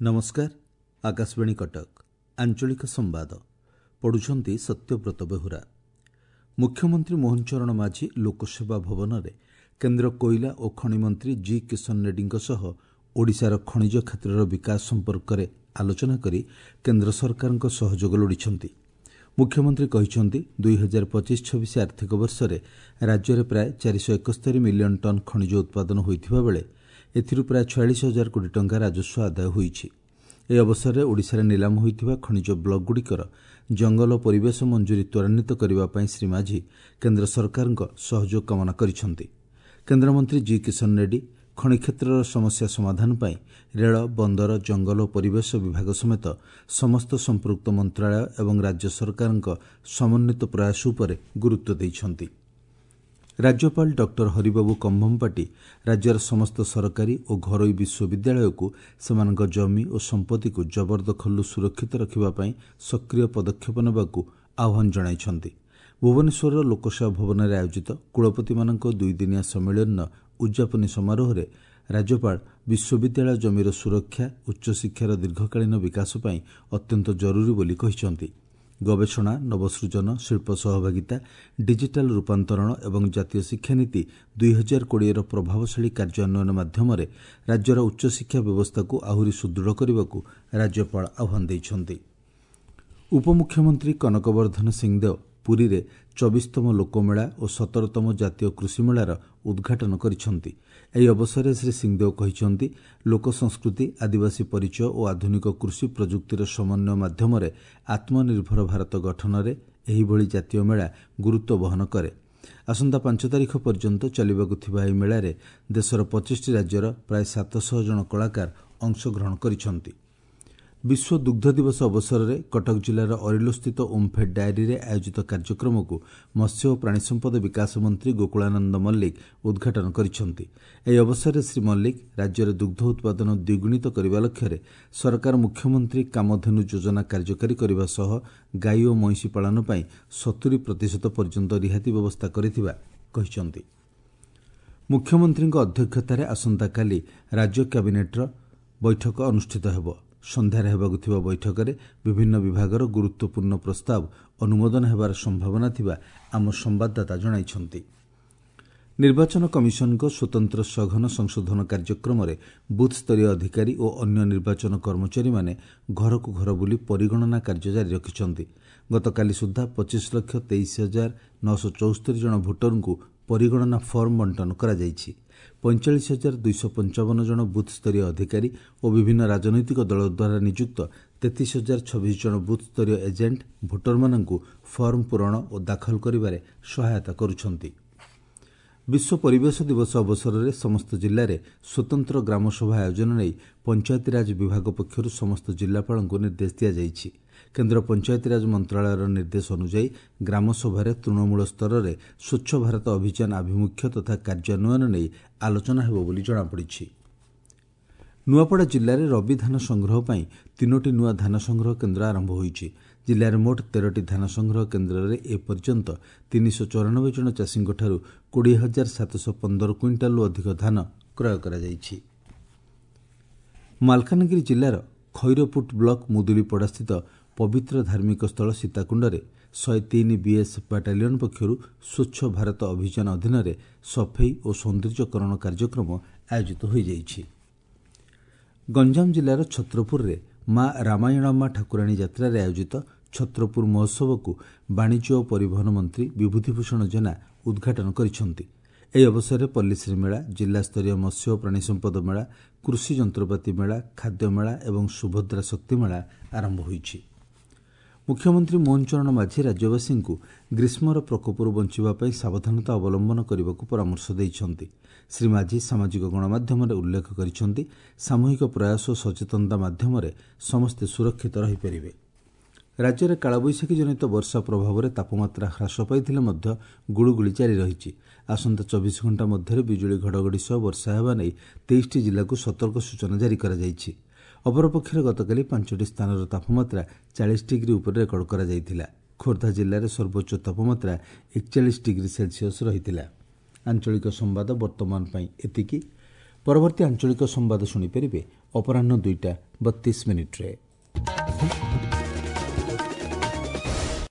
ନମସ୍କାର, ଆକାଶବାଣୀ କଟକ, ଆଞ୍ଚଳିକ ସମ୍ବାଦ ପଢ଼ୁଛନ୍ତି ସତ୍ୟବ୍ରତ ବେହୁରା। ମୁଖ୍ୟମନ୍ତ୍ରୀ ମୋହନ ଚରଣ ମାଝୀ ଲୋକସେବା ଭବନରେ କେନ୍ଦ୍ର କୋଇଲା ଓ ଖଣି ମନ୍ତ୍ରୀ ଜି କିଶନ ରେଡ୍ଡୀଙ୍କ ସହ ଓଡ଼ିଶାର ଖଣିଜ କ୍ଷେତ୍ରର ବିକାଶ ସମ୍ପର୍କରେ ଆଲୋଚନା କରି କେନ୍ଦ୍ର ସରକାରଙ୍କ ସହଯୋଗ ଲୋଡ଼ିଛନ୍ତି। ମୁଖ୍ୟମନ୍ତ୍ରୀ କହିଛନ୍ତି, 2025-26 ଆର୍ଥିକ ବର୍ଷରେ ରାଜ୍ୟରେ ପ୍ରାୟ 471 ମିଲିୟନ୍ ଟନ୍ ଖଣିଜ ଉତ୍ପାଦନ ହୋଇଥିବା ବେଳେ ଏଥିରୁ ପ୍ରାୟ 46 ହଜାର କୋଟି ଟଙ୍କା ରାଜସ୍ୱ ଆଦାୟ ହୋଇଛି। ଏହି ଅବସରରେ ଓଡ଼ିଶାରେ ନିଲାମ ହୋଇଥିବା ଖଣିଜ ବ୍ଲକ୍ଗୁଡ଼ିକର ଜଙ୍ଗଲ ଓ ପରିବେଶ ମଞ୍ଜୁରୀ ତ୍ୱରାନ୍ୱିତ କରିବା ପାଇଁ ଶ୍ରୀ ମାଝୀ କେନ୍ଦ୍ର ସରକାରଙ୍କ ସହଯୋଗ କାମନା କରିଛନ୍ତି। କେନ୍ଦ୍ରମନ୍ତ୍ରୀ ଜି କିଶନ ରେଡ୍ଡୀ ଖଣି କ୍ଷେତ୍ରର ସମସ୍ୟା ସମାଧାନ ପାଇଁ ରେଳ, ବନ୍ଦର, ଜଙ୍ଗଲ ଓ ପରିବେଶ ବିଭାଗ ସମେତ ସମସ୍ତ ସମ୍ପୃକ୍ତ ମନ୍ତ୍ରଣାଳୟ ଏବଂ ରାଜ୍ୟ ସରକାରଙ୍କ ସମନ୍ୱିତ ପ୍ରୟାସ ଉପରେ ଗୁରୁତ୍ୱ ଦେଇଛନ୍ତି। ରାଜ୍ୟପାଳ ଡକ୍ଟର ହରିବାବୁ କମ୍ଭମପାଟି ରାଜ୍ୟର ସମସ୍ତ ସରକାରୀ ଓ ଘରୋଇ ବିଶ୍ୱବିଦ୍ୟାଳୟକୁ ସେମାନଙ୍କ ଜମି ଓ ସମ୍ପତ୍ତିକୁ ଜବରଦଖଲରୁ ସୁରକ୍ଷିତ ରଖିବା ପାଇଁ ସକ୍ରିୟ ପଦକ୍ଷେପ ନେବାକୁ ଆହ୍ୱାନ ଜଣାଇଛନ୍ତି। ଭୁବନେଶ୍ୱରର ଲୋକସେବା ଭବନରେ ଆୟୋଜିତ କୁଳପତିମାନଙ୍କ ଦୁଇଦିନିଆ ସମ୍ମିଳନୀର ଉଦ୍ଯାପନୀ ସମାରୋହରେ ରାଜ୍ୟପାଳ ବିଶ୍ୱବିଦ୍ୟାଳୟ ଜମିର ସୁରକ୍ଷା ଉଚ୍ଚଶିକ୍ଷାର ଦୀର୍ଘକାଳୀନ ବିକାଶ ପାଇଁ ଅତ୍ୟନ୍ତ ଜରୁରୀ ବୋଲି କହିଛନ୍ତି। ଗବେଷଣା, ନବସୃଜନ, ଶିଳ୍ପ ସହଭାଗିତା, ଡିଜିଟାଲ୍ ରୂପାନ୍ତରଣ ଏବଂ ଜାତୀୟ ଶିକ୍ଷାନୀତି 2020ର ପ୍ରଭାବଶାଳୀ କାର୍ଯ୍ୟାନ୍ୱୟନ ମାଧ୍ୟମରେ ରାଜ୍ୟର ଉଚ୍ଚଶିକ୍ଷା ବ୍ୟବସ୍ଥାକୁ ଆହୁରି ସୁଦୃଢ଼ କରିବାକୁ ରାଜ୍ୟପାଳ ଆହ୍ୱାନ ଦେଇଛନ୍ତି। ଉପମୁଖ୍ୟମନ୍ତ୍ରୀ କନକବର୍ଦ୍ଧନ ସିଂହଦେଓ ପୁରୀରେ 24ତମ ଲୋକମେଳା ଓ 17ତମ ଜାତୀୟ କୃଷିମେଳାର ଉଦ୍ଘାଟନ କରିଛନ୍ତି। ଏହି ଅବସରରେ ଶ୍ରୀ ସିଂହଦେଓ କହିଛନ୍ତି, ଲୋକସଂସ୍କୃତି, ଆଦିବାସୀ ପରିଚୟ ଓ ଆଧୁନିକ କୃଷି ପ୍ରଯୁକ୍ତିର ସମନ୍ୱୟ ମାଧ୍ୟମରେ ଆତ୍ମନିର୍ଭର ଭାରତ ଗଠନରେ ଏହିଭଳି ଜାତୀୟ ମେଳା ଗୁରୁତ୍ୱ ବହନ କରେ। ଆସନ୍ତା 5 ତାରିଖ ପର୍ଯ୍ୟନ୍ତ ଚାଲିବାକୁ ଥିବା ଏହି ମେଳାରେ ଦେଶର 25ଟି ରାଜ୍ୟର ପ୍ରାୟ 700 ଜଣ କଳାକାର ଅଂଶଗ୍ରହଣ କରିଛନ୍ତି। ବିଶ୍ୱ ଦୁଗ୍ଧ ଦିବସ ଅବସରରେ କଟକ ଜିଲ୍ଲାର ଅରିଲୋସ୍ଥିତ ଓମ୍ଫେଡ୍ ଡାଏରୀରେ ଆୟୋଜିତ କାର୍ଯ୍ୟକ୍ରମକୁ ମତ୍ସ୍ୟ ଓ ପ୍ରାଣୀସମ୍ପଦ ବିକାଶ ମନ୍ତ୍ରୀ ଗୋକୁଳାନନ୍ଦ ମଲ୍ଲିକ ଉଦ୍ଘାଟନ କରିଛନ୍ତି। ଏହି ଅବସରରେ ଶ୍ରୀ ମଲ୍ଲିକ ରାଜ୍ୟରେ ଦୁଗ୍ଧ ଉତ୍ପାଦନ ଦ୍ୱିଗୁଣିତ କରିବା ଲକ୍ଷ୍ୟରେ ସରକାର ମୁଖ୍ୟମନ୍ତ୍ରୀ କାମଧେନୁ ଯୋଜନା କାର୍ଯ୍ୟକାରୀ କରିବା ସହ ଗାଈ ଓ ମଇଁଷି ପାଳନ ପାଇଁ 70% ପର୍ଯ୍ୟନ୍ତ ରିହାତି ବ୍ୟବସ୍ଥା କରିଥିବା କହିଛନ୍ତି। ମୁଖ୍ୟମନ୍ତ୍ରୀଙ୍କ ଅଧ୍ୟକ୍ଷତାରେ ଆସନ୍ତାକାଲି ରାଜ୍ୟ କ୍ୟାବିନେଟ୍ର ବୈଠକ ଅନୁଷ୍ଠିତ ହେବ। ସନ୍ଧ୍ୟାରେ ହେବାକୁ ଥିବା ବୈଠକରେ ବିଭିନ୍ନ ବିଭାଗର ଗୁରୁତ୍ୱପୂର୍ଣ୍ଣ ପ୍ରସ୍ତାବ ଅନୁମୋଦନ ହେବାର ସମ୍ଭାବନା ଥିବା ଆମ ସମ୍ବାଦଦାତା ଜଣାଇଛନ୍ତି। ନିର୍ବାଚନ କମିଶନଙ୍କ ସ୍ୱତନ୍ତ୍ର ସଘନ ସଂଶୋଧନ କାର୍ଯ୍ୟକ୍ରମରେ ବୁଥ୍ସ୍ତରୀୟ ଅଧିକାରୀ ଓ ଅନ୍ୟ ନିର୍ବାଚନ କର୍ମଚାରୀମାନେ ଘରକୁ ଘର ବୁଲି ପରିଗଣନା କାର୍ଯ୍ୟ ଜାରି ରଖିଛନ୍ତି। ଗତକାଲି ସୁଦ୍ଧା 25,23,974 ଜଣ ଭୋଟରଙ୍କୁ ପରିଗଣନା ଫର୍ମ ବଣ୍ଟନ କରାଯାଇଛି। 45,255 ଜଣ ବୁଥ୍ସ୍ତରୀୟ ଅଧିକାରୀ ଓ ବିଭିନ୍ନ ରାଜନୈତିକ ଦଳ ଦ୍ୱାରା ନିଯୁକ୍ତ 33,026 ଜଣ ବୁଥ୍ସ୍ତରୀୟ ଏଜେଣ୍ଟ ଭୋଟରମାନଙ୍କୁ ଫର୍ମ ପୂରଣ ଓ ଦାଖଲ କରିବାରେ ସହାୟତା କରୁଛନ୍ତି। ବିଶ୍ୱ ପରିବେଶ ଦିବସ ଅବସରରେ ସମସ୍ତ ଜିଲ୍ଲାରେ ସ୍ୱତନ୍ତ୍ର ଗ୍ରାମସଭା ଆୟୋଜନ ନେଇ ପଞ୍ଚାୟତିରାଜ ବିଭାଗ ପକ୍ଷରୁ ସମସ୍ତ ଜିଲ୍ଲାପାଳଙ୍କୁ ନିର୍ଦ୍ଦେଶ ଦିଆଯାଇଛି। କେନ୍ଦ୍ର ପଞ୍ଚାୟତିରାଜ ମନ୍ତ୍ରଣାଳୟର ନିର୍ଦ୍ଦେଶ ଅନୁଯାୟୀ ଗ୍ରାମସଭାରେ ତୃଣମୂଳ ସ୍ତରରେ ସ୍ୱଚ୍ଛ ଭାରତ ଅଭିଯାନ ଆଭିମୁଖ୍ୟ ତଥା କାର୍ଯ୍ୟାନ୍ୱୟନ ନେଇ ଆଲୋଚନା ହେବ ବୋଲି ଜଣାପଡ଼ିଛି। ନୂଆପଡ଼ା ଜିଲ୍ଲାରେ ରବି ଧାନ ସଂଗ୍ରହ ପାଇଁ 3ଟି ନୂଆ ଧାନ ସଂଗ୍ରହ କେନ୍ଦ୍ର ଆରମ୍ଭ ହୋଇଛି। ଜିଲ୍ଲାରେ ମୋଟ 13ଟି ଧାନ ସଂଗ୍ରହ କେନ୍ଦ୍ରରେ ଏପର୍ଯ୍ୟନ୍ତ 394 ଜଣ ଚାଷୀଙ୍କଠାରୁ 20,715 କୁଇଣ୍ଟାଲରୁ ଅଧିକ ଧାନ କ୍ରୟ କରାଯାଇଛି। ମାଲକାନଗିରି ଜିଲ୍ଲାର ଖଇରପୁଟ ବ୍ଲକ ମୁଦୁଲିପଡ଼ାସ୍ଥିତ ପବିତ୍ର ଧାର୍ମିକ ସ୍ଥଳ ସୀତାକୁଣ୍ଡରେ 103 ବିଏସ୍ଏଫ୍ ବାଟାଲିୟନ୍ ପକ୍ଷରୁ ସ୍ୱଚ୍ଛ ଭାରତ ଅଭିଯାନ ଅଧୀନରେ ସଫେଇ ଓ ସୌନ୍ଦର୍ଯ୍ୟକରଣ କାର୍ଯ୍ୟକ୍ରମ ଆୟୋଜିତ ହୋଇଯାଇଛି। ଗଞ୍ଜାମ ଜିଲ୍ଲାର ଛତ୍ରପୁରରେ ମା ରାମାୟଣମା ଠାକୁରାଣୀ ଯାତ୍ରାରେ ଆୟୋଜିତ ଛତ୍ରପୁର ମହୋତ୍ସବକୁ ବାଣିଜ୍ୟ ଓ ପରିବହନ ମନ୍ତ୍ରୀ ବିଭୂତିଭୂଷଣ ଜେନା ଉଦ୍ଘାଟନ କରିଛନ୍ତି। ଏହି ଅବସରରେ ପଲ୍ଲୀଶ୍ରୀ ମେଳା, ଜିଲ୍ଲାସ୍ତରୀୟ ମତ୍ସ୍ୟ ଓ ପ୍ରାଣୀସମ୍ପଦ ମେଳା, କୃଷି ଯନ୍ତ୍ରପାତି ମେଳା, ଖାଦ୍ୟ ମେଳା ଏବଂ ସୁଭଦ୍ରା ଶକ୍ତି ମେଳା ଆରମ୍ଭ ହୋଇଛି। ମୁଖ୍ୟମନ୍ତ୍ରୀ ମୋହନ ଚରଣ ମାଝୀ ରାଜ୍ୟବାସୀଙ୍କୁ ଗ୍ରୀଷ୍ମର ପ୍ରକୋପରୁ ବଞ୍ଚିବା ପାଇଁ ସାବଧାନତା ଅବଲମ୍ବନ କରିବାକୁ ପରାମର୍ଶ ଦେଇଛନ୍ତି। ଶ୍ରୀ ମାଝୀ ସାମାଜିକ ଗଣମାଧ୍ୟମରେ ଉଲ୍ଲେଖ କରିଛନ୍ତି, ସାମୂହିକ ପ୍ରୟାସ ଓ ସଚେତନତା ମାଧ୍ୟମରେ ସମସ୍ତେ ସୁରକ୍ଷିତ ରହିପାରିବେ। ରାଜ୍ୟରେ କାଳବୈଶାଖୀ ଜନିତ ବର୍ଷା ପ୍ରଭାବରେ ତାପମାତ୍ରା ହ୍ରାସ ପାଇଥିଲେ ମଧ୍ୟ ଗୁଳୁଗୁଳି ଜାରି ରହିଛି। ଆସନ୍ତା 24 ଘଣ୍ଟା ମଧ୍ୟରେ ବିଜୁଳି ଘଡ଼ଘଡ଼ି ସହ ବର୍ଷା ହେବା ନେଇ 23ଟି ଜିଲ୍ଲାକୁ ସତର୍କ ସୂଚନା ଜାରି କରାଯାଇଛି। ଅପରପକ୍ଷରେ ଗତକାଲି 5ଟି ସ୍ଥାନର ତାପମାତ୍ରା 40 ଡିଗ୍ରୀ ଉପରେ ରେକର୍ଡ କରାଯାଇଥିଲା। ଖୋର୍ଦ୍ଧା ଜିଲ୍ଲାରେ ସର୍ବୋଚ୍ଚ ତାପମାତ୍ରା 41 ଡିଗ୍ରୀ ସେଲ୍ସିୟସ୍ ରହିଥିଲା। ଆଞ୍ଚଳିକ ସମ୍ବାଦ ବର୍ତ୍ତମାନ ପାଇଁ ଏତିକି। ପରବର୍ତ୍ତୀ ଆଞ୍ଚଳିକ ସମ୍ବାଦ ଶୁଣିପାରିବେ ଅପରାହ୍ନ 2ଟା 32 ମିନିଟ୍ରେ।